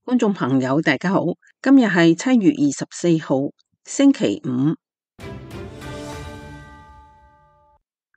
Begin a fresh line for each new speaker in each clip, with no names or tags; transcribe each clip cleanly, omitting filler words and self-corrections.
觀眾朋友大家好，今日係7月24號星期五，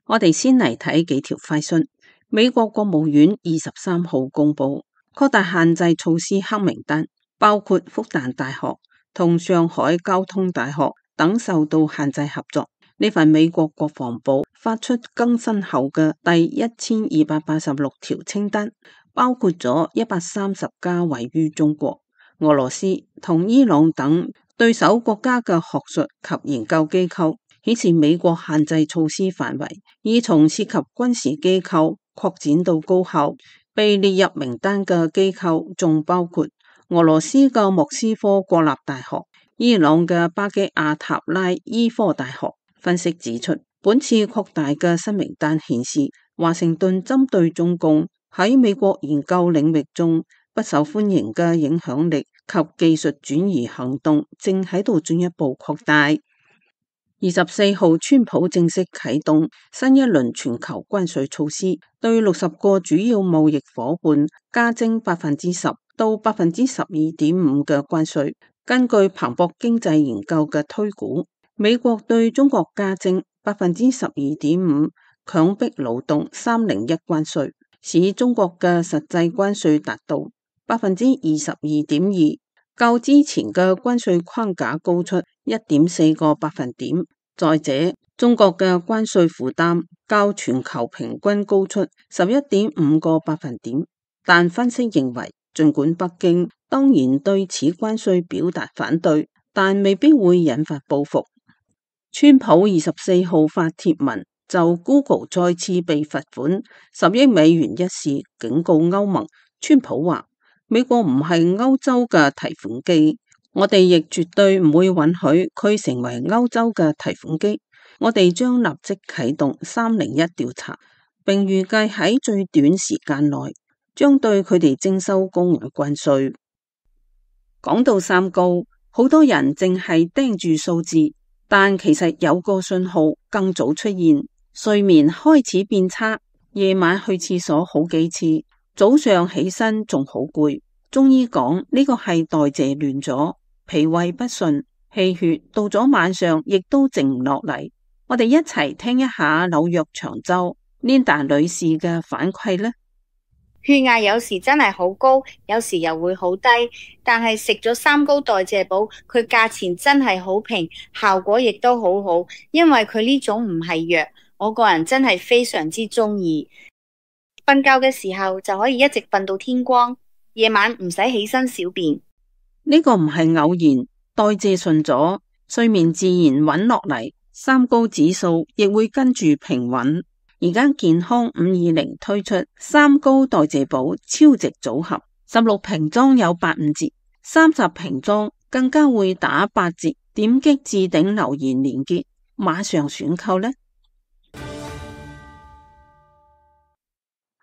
我哋先嚟睇幾條快訊。美國國務院23號公布擴大限制措施黑名單，包括復旦大學同上海交通大學等受到限制合作。呢份美國國防部發出更新後嘅第1286條清單，包括咗130家位於中國、俄羅斯同伊朗等對手國家嘅學術及研究機構，顯示美國限制措施範圍已從涉及軍事機構擴展到高校。被列入名單嘅機構仲包括俄羅斯嘅莫斯科國立大學、伊朗嘅巴基亞塔拉醫科大學。分析指出，本次擴大嘅新名單顯示，華盛頓針對中共喺美國研究領域中不受歡迎嘅影響力及技術轉移行動正喺度進一步擴大。24號，川普正式啟動新一輪全球關稅措施，對60個主要貿易夥伴加徵10%到12.5%嘅關稅。根據彭博經濟研究嘅推估，美國對中國加徵12.5%強迫勞動301關稅，使中國嘅實際關稅達到22.2%，較之前嘅關稅框架高出1.4個百分點。再者，中國嘅關稅負擔較全球平均高出11.5個百分點。但分析認為，儘管北京當然對此關稅表達反對，但未必會引發報復。川普24號發帖文就 Google 再次被罰款10億美元一事警告歐盟。川普話：美國唔係歐洲嘅提款機，我哋亦絕對唔會允許佢成為歐洲嘅提款機。我哋將立即啟動301調查，並預計喺最短時間內將對佢哋徵收高額關稅。講到三高，好多人淨係盯住數字，但其實有個信號更早出現，睡眠開始變差，夜晚去廁所好幾次，早上起身仲好攰。中醫講呢個係代謝亂咗，脾胃不順，氣血到咗晚上亦都靜唔落嚟。我哋一齊聽一下紐約長洲 Linda 女士嘅反饋呢。
血壓有時真係好高，有時又會好低，但係食咗三高代謝寶，佢價錢真係好平，效果亦都好好，因為佢呢種唔係藥，我個人真係非常之中意。瞓覺嘅時候就可以一直瞓到天光，夜晚唔使起身小便。
呢個唔係偶然，代謝順咗，睡眠自然穩落嚟，三高指數亦會跟住平穩。而家健康520推出三高代謝寶超值組合，16瓶裝有85折，30瓶裝更加會打8折。點擊置頂留言連結，馬上選購呢。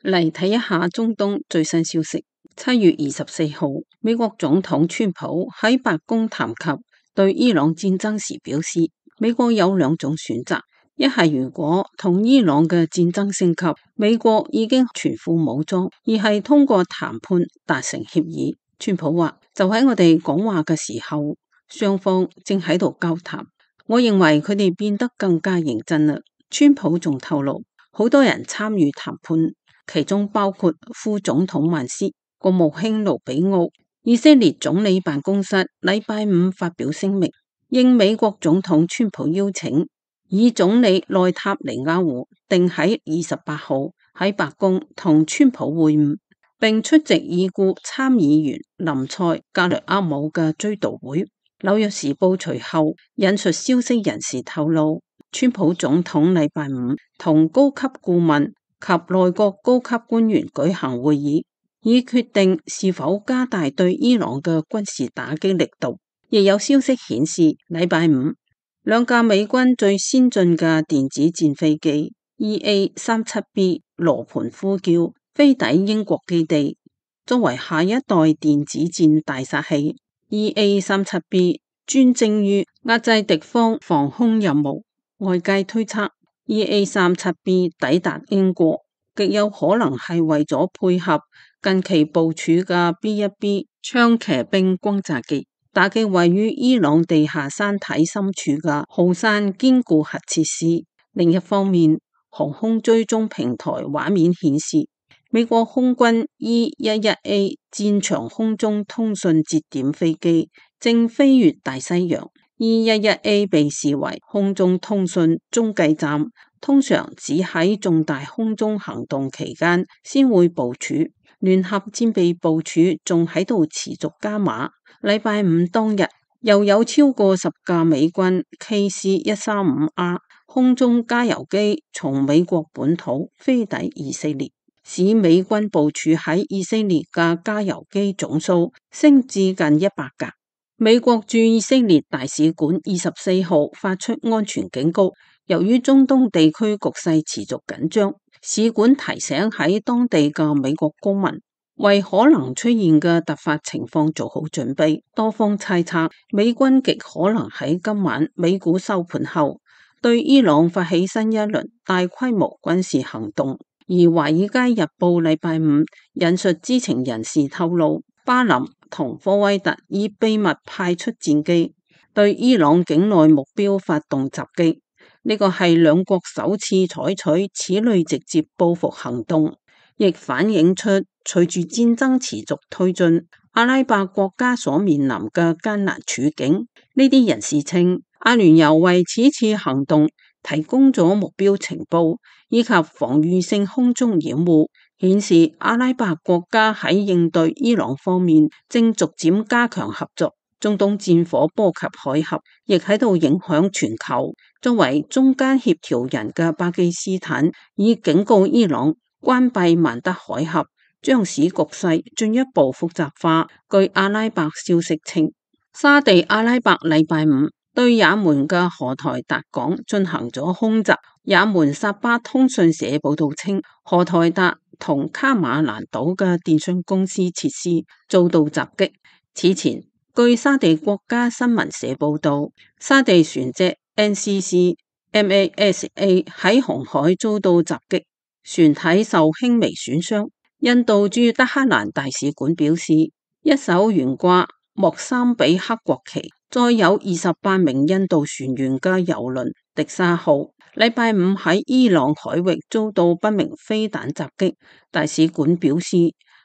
嚟睇一下中東最新消息。7月24號，美國總統川普喺白宮談及對伊朗戰爭時表示，美國有兩種選擇。一係如果同伊朗嘅戰爭升級，美國已經全副武裝；二係通過談判達成協議。川普話：就喺我哋講話嘅時候，雙方正喺度交談。我認為佢哋變得更加認真啦。川普仲透露，好多人參與談判，其中包括副總統曼斯、國務卿盧比奧。以色列總理辦公室禮拜五發表聲明，應美國總統川普邀請，以總理內塔尼亞胡定喺28號喺白宮同川普會晤，並出席已故參議員林賽格雷厄姆嘅追悼會。紐約時報隨後引述消息人士透露，川普總統禮拜五同高級顧問及內閣高級官員舉行會議，以決定是否加大對伊朗嘅軍事打擊力度。亦有消息顯示，禮拜五兩架美軍最先進嘅電子戰飛機 EA-37B 羅盤呼叫飛抵英國基地，作為下一代電子戰大殺器。EA-37B 專精於壓制敵方防空任務，外界推測 EA-37B 抵達英國極有可能係為咗配合近期部署嘅 B-1B 槍騎兵轟炸機，打擊位於伊朗地下山體深處嘅浩山堅固核設施。另一方面，航空追蹤平台畫面顯示，美國空軍 E-11A 戰場空中通訊節點飛機正飛越大西洋。E-11A 被視為空中通訊中繼站，通常只喺重大空中行動期間先會部署。聯合戰備部署仲喺度持續加碼。禮拜五當日，又有超過10架美軍 KC-135R 空中加油機從美國本土飛抵以色列，使美軍部署喺以色列嘅加油機總數升至近100架。美國駐以色列大使館24號發出安全警告，由於中東地區局勢持續緊張，使館提醒喺當地嘅美國公民為可能出現嘅突發情況做好準備。多方猜測，美軍極可能喺今晚美股收盤後對伊朗發起新一輪大規模軍事行動。而《華爾街日報》禮拜五引述知情人士透露，巴林同科威特已秘密派出戰機對伊朗境內目標發動襲擊。呢個係兩國首次採取此類直接報復行動，亦反映出隨住戰爭持續推進，阿拉伯國家所面臨嘅艱難處境。呢啲人士稱，阿聯酋為此次行動提供咗目標情報以及防禦性空中掩護，顯示阿拉伯國家喺應對伊朗方面正逐漸加強合作。中東戰火波及海峽，亦喺度影響全球。作為中間協調人嘅巴基斯坦已警告伊朗，關閉曼德海峽將使局勢進一步複雜化。據阿拉伯消息稱，沙地阿拉伯禮拜五對也門嘅荷台達港進行咗空襲。也門薩巴通訊社報道稱，荷台達同卡馬蘭島嘅電信公司設施遭到襲擊。此前，據沙地國家新聞社報道，沙地船隻 NCC MASA 喺紅海遭到襲擊，船體受輕微損傷。印度駐德黑蘭大使館表示，一艘懸掛莫桑比克國旗、載有28名印度船員嘅油輪迪沙號，禮拜五喺伊朗海域遭到不明飛彈襲擊。大使館表示，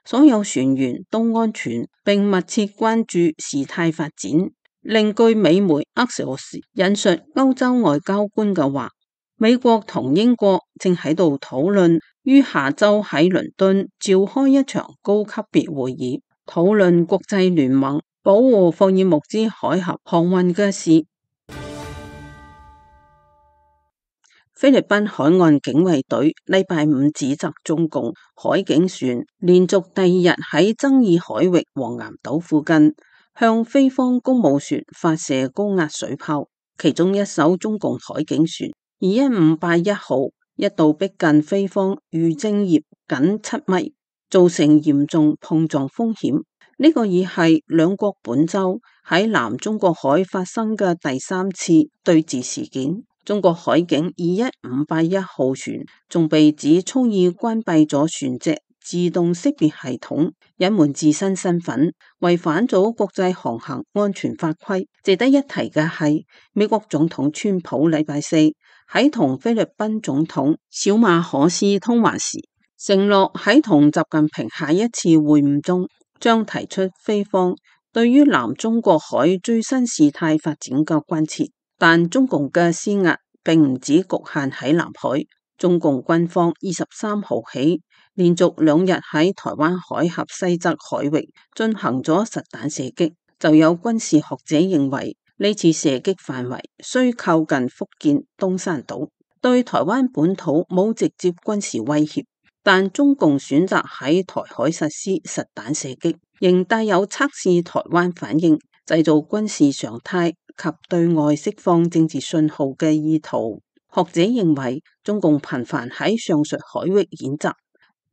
所有船員都安全，並密切關注事態發展。另據美媒 Axios 引述歐洲外交官嘅話，美國同英國正喺度討論於下周喺倫敦召開一場高級別會議，討論國際聯盟保護霍爾木茲海峽航運嘅事。菲律賓海岸警衛隊禮拜五指責中共海警船連續第2日喺爭議海域黃岩島附近向菲方公務船發射高壓水炮，其中一艘中共海警船21581號一度逼近菲方漁政業僅7米，造成嚴重碰撞風險。呢個已係兩國本週喺南中國海發生嘅第3次對峙事件。中國海警21581號船仲被指蓄意關閉咗船隻自動識別系統，隱瞞自身身份，違反咗國際航行安全法規。值得一提嘅係，美國總統川普禮拜四喺同菲律賓總統小馬可斯通話時，承諾喺同習近平下一次會晤中，將提出菲方對於南中國海最新事態發展嘅關切。但中共嘅施壓並唔只局限喺南海，中共軍方23號起連續2日喺台灣海峽西側海域進行咗實彈射擊。就有軍事學者認為，呢次射擊範圍雖靠近福建東山島，對台灣本土冇直接軍事威脅，但中共選擇喺台海實施實彈射擊，仍帶有測試台灣反應、製造軍事常態及對外釋放政治信號嘅意圖。學者認為，中共頻繁喺上述海域演習，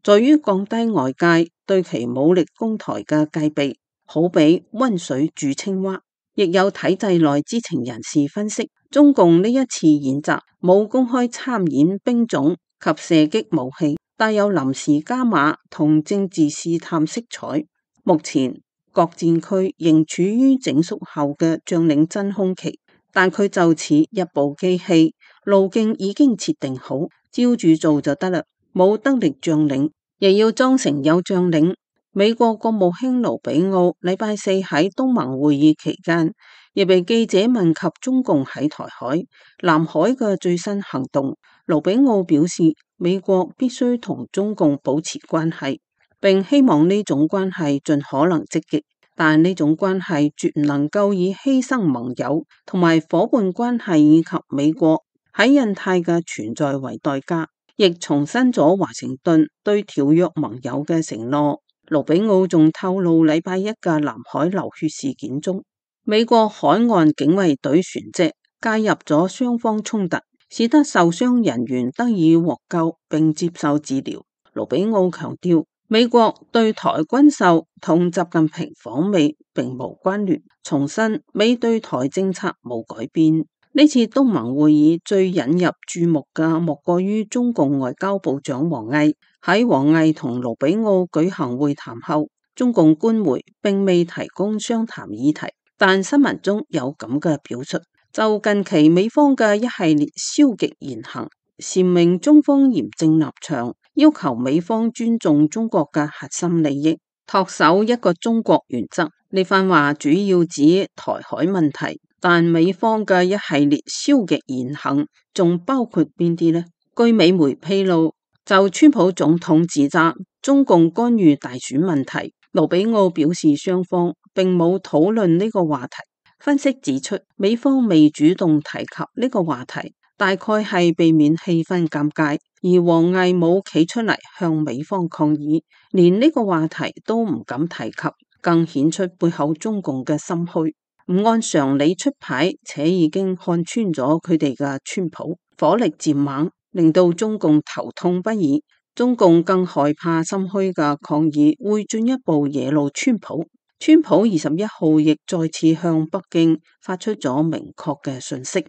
在於降低外界對其武力攻台嘅戒備，好比溫水煮青蛙。亦有體制內知情人士分析，中共呢一次演習冇公開參演兵種及射擊武器，帶有臨時加碼同政治試探色彩。目前各戰區仍處於整肅後嘅將領真空期，但佢就似一部機器，路徑已經設定好，照住做就得啦。冇得力將領，亦要裝成有將領。美國國務卿盧比奧禮拜四喺東盟會議期間，亦被記者問及中共喺台海、南海嘅最新行動。盧比奧表示，美國必須同中共保持關係，並希望呢種關係盡可能積極，但呢種關係絕唔能夠以犧牲盟友同埋夥伴關係以及美國喺印太嘅存在為代價，亦重申咗華盛頓對條約盟友嘅承諾。盧比奧仲透露，禮拜一嘅南海流血事件中，美國海岸警衛隊船隻介入咗雙方衝突，使得受傷人員得以獲救並接受治療。盧比奧強調，美國對台軍售同習近平訪美並無關聯，重申美對台政策冇改變。呢次東盟會議最引入注目嘅莫過於中共外交部長王毅。喺王毅同盧比奧舉行會談後，中共官媒並未提供商談議題，但新聞中有咁嘅表述。就近期美方嘅一系列消極言行，闡明中方嚴正立場，要求美方尊重中國嘅核心利益，恪守一個中國原則。呢番話主要指台海問題，但美方嘅一系列消極言行仲包括邊啲呢？據美媒披露，就川普總統指責中共干預大選問題，盧比奧表示雙方並冇討論呢個話題。分析指出，美方未主動提及呢個話題，大概係避免氣氛尷尬，而王毅冇企出嚟向美方抗議，連呢個話題都唔敢提及，更顯出背後中共嘅心虛，唔按常理出牌，且已經看穿咗佢哋嘅川普，火力漸猛，令到中共頭痛不已。中共更害怕心虛嘅抗議會進一步惹怒川普。川普21號亦再次向北京發出咗明確嘅訊息，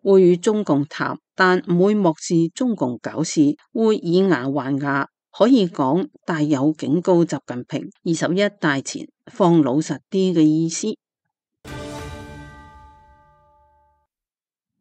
會與中共談，但唔會漠視中共搞事，會以牙還牙，可以講帶有警告習近平21大前放老實啲嘅意思。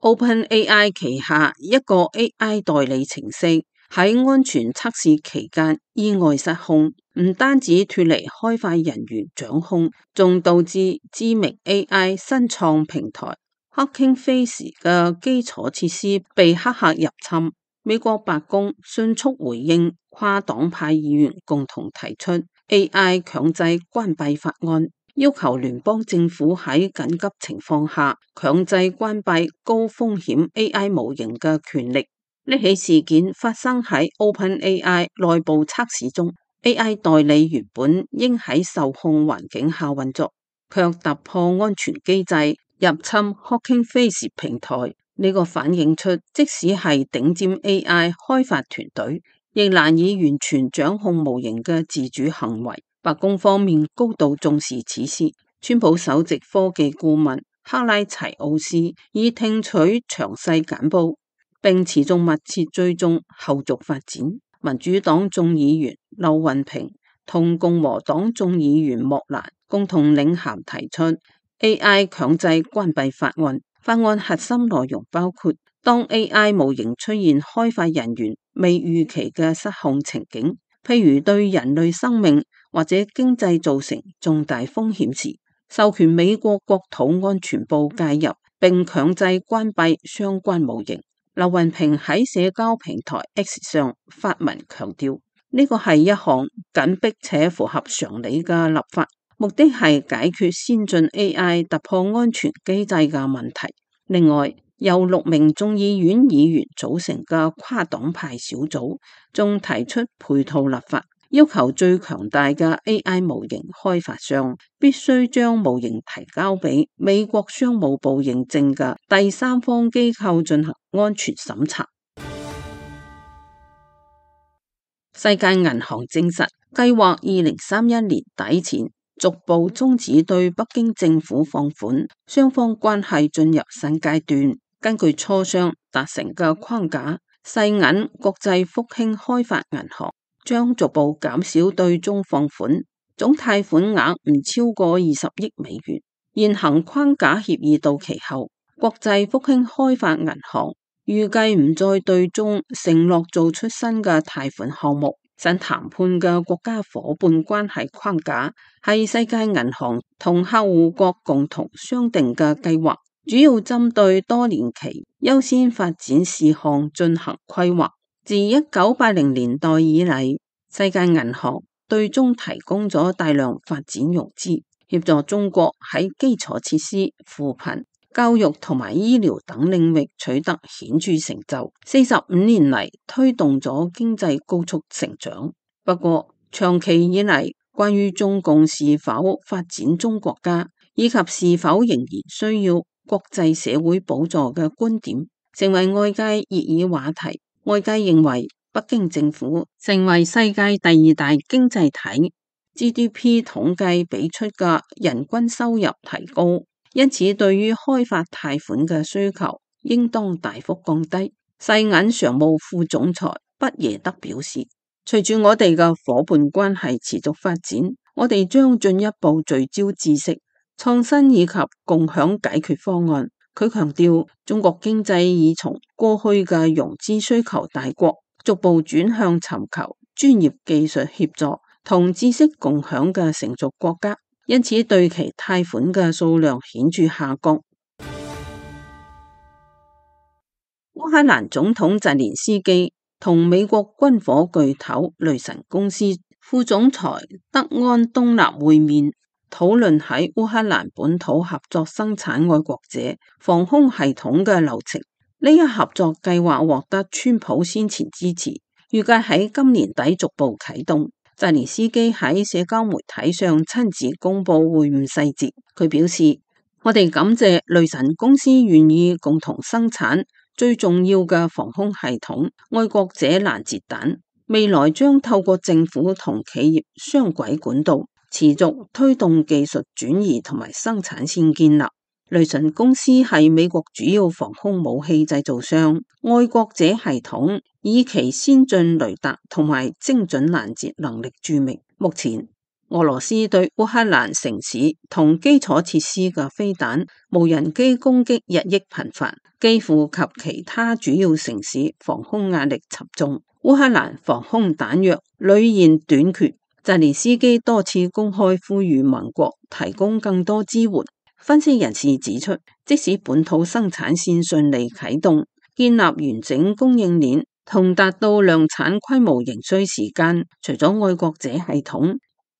OpenAI 旗下一個 AI 代理程式喺安全測試期間意外失控，唔單止脫離開發人員掌控，仲導致知名 AI 新創平台 Hugging Face 嘅基礎設施被黑客入侵。美國白宮迅速回應，跨黨派議員共同提出 AI 強制關閉法案，要求聯邦政府喺緊急情況下強制關閉高風險 AI 模型嘅權力。呢起事件發生喺 OpenAI 內部測試中， AI 代理原本應喺受控環境下運作，卻突破安全機制入侵 Hugging Face 平台。呢個反映出即使係頂尖 AI 開發團隊，亦難以完全掌控模型嘅自主行為。白宮方面高度重視此事，川普首席科技顧問克拉齊奧斯已聽取詳細簡報，並持續密切追蹤後續發展。民主黨眾議員劉雲平同共和黨眾議員莫蘭共同領銜提出 AI 強制關閉法案。法案核心內容包括，當 AI 模型出現開發人員未預期嘅失控情景，譬如對人類生命或者經濟造成重大風險時，授權美國國土安全部介入並強制關閉相關模型。劉雲平喺社交平台 X 上發文強調，呢個係一項緊迫且符合常理嘅立法，目的係解決先進 AI 突破安全機制嘅問題。另外，由6名眾議院議員組成嘅跨黨派小組仲提出配套立法，要求最強大嘅 AI 模型開發商必須將模型提交俾美國商務部認證嘅第三方機構進行安全審查。世界銀行證實，計劃2031年底前逐步終止對北京政府放款，雙方關係進入新階段。根據磋商達成嘅框架，世銀國際復興開發銀行將逐步減少對中放款，總貸款額唔超過20億美元。現行框架協議到期後，國際復興開發銀行預計唔再對中承諾做出新嘅貸款項目。新談判嘅國家夥伴關係框架係世界銀行同客戶國共同商定嘅計劃，主要針對多年期優先發展事項進行規劃。自1980年代以嚟，世界銀行對中提供咗大量發展融資，協助中國喺基礎設施、扶貧、教育同埋醫療等領域取得顯著成就。45年嚟推動咗經濟高速成長。不過，長期以嚟關於中共是否發展中國家，以及是否仍然需要國際社會補助嘅觀點，成為外界熱議話題。外界認為北京政府成為世界第2大經濟體， GDP 統計俾出嘅人均收入提高，因此對於開發貸款嘅需求應當大幅降低。世銀常務副總裁畢耶德表示，隨住我哋嘅夥伴關係持續發展，我哋將進一步聚焦知識、創新以及共享解決方案。佢強調，中國經濟已從過去嘅融資需求大國，逐步轉向尋求專業技術協助同知識共享嘅成熟國家，因此對其貸款嘅數量顯著下降。烏克蘭總統澤連斯基同美國軍火巨頭雷神公司副總裁德安東納會面，討論喺烏克蘭本土合作生產愛國者防空系統嘅流程。呢一合作計劃獲得川普先前支持，預計喺今年底逐步啟動。澤連斯基喺社交媒體上親自公布會晤細節。佢表示，我哋感謝雷神公司願意共同生產最重要嘅防空系統愛國者攔截彈，未來將透過政府同企業雙軌管道持續推動技術轉移同埋生產線建立。雷神公司係美國主要防空武器製造商，愛國者系統以其先進雷達同埋精準攔截能力著名。目前，俄羅斯對烏克蘭城市同基礎設施嘅飛彈、無人機攻擊日益頻繁，幾乎及其他主要城市防空壓力沉重。烏克蘭防空彈藥屢現短缺，澤連斯基多次公開呼籲盟國提供更多支援。分析人士指出，即使本土生產線順利啟動，建立完整供應鏈同達到量產規模仍需時間。除咗愛國者系統，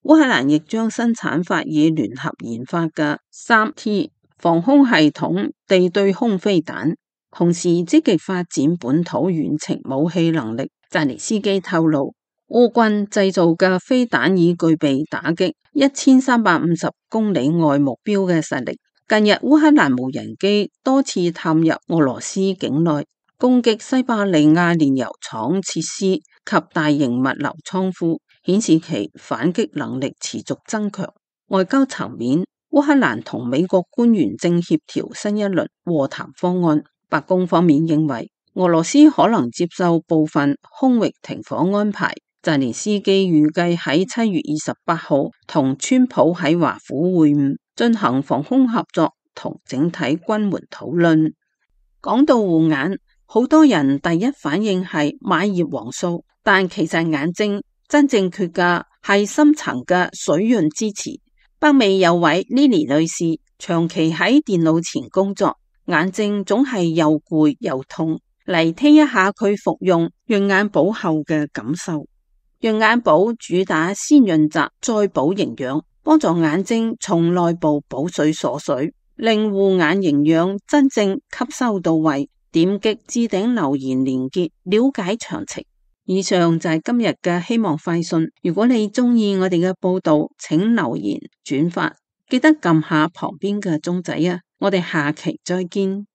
烏克蘭亦將生產法以聯合研發嘅 3T 防空系統地對空飛彈，同時積極發展本土遠程武器能力。澤連斯基透露，烏軍製造嘅飛彈已具備打擊1350公里外目標嘅實力。近日，烏克蘭無人機多次探入俄羅斯境內，攻擊西伯利亞煉油廠設施及大型物流倉庫，顯示其反擊能力持續增強。外交層面，烏克蘭同美國官員正協調新一輪和談方案。白宮方面認為，俄羅斯可能接受部分空域停火安排。澤連斯基預計喺7月28號同川普喺華府會晤，進行防空合作同整體軍援討論。講到護眼，好多人第一反應係買葉黃素，但其實眼睛真正缺嘅係深層嘅水潤支持。北美有位 Lily 女士長期喺電腦前工作，眼睛總係又攰又痛。嚟聽一下佢服用潤眼寶後嘅感受。潤眼寶主打先潤澤再補營養，幫助眼睛從內部補水鎖水，令護眼營養真正吸收到位。點擊置頂留言連結了解詳情。以上就係今日嘅希望快訊。如果你中意我哋嘅報道，請留言轉發，記得撳下旁邊嘅鐘仔啊！我哋下期再見。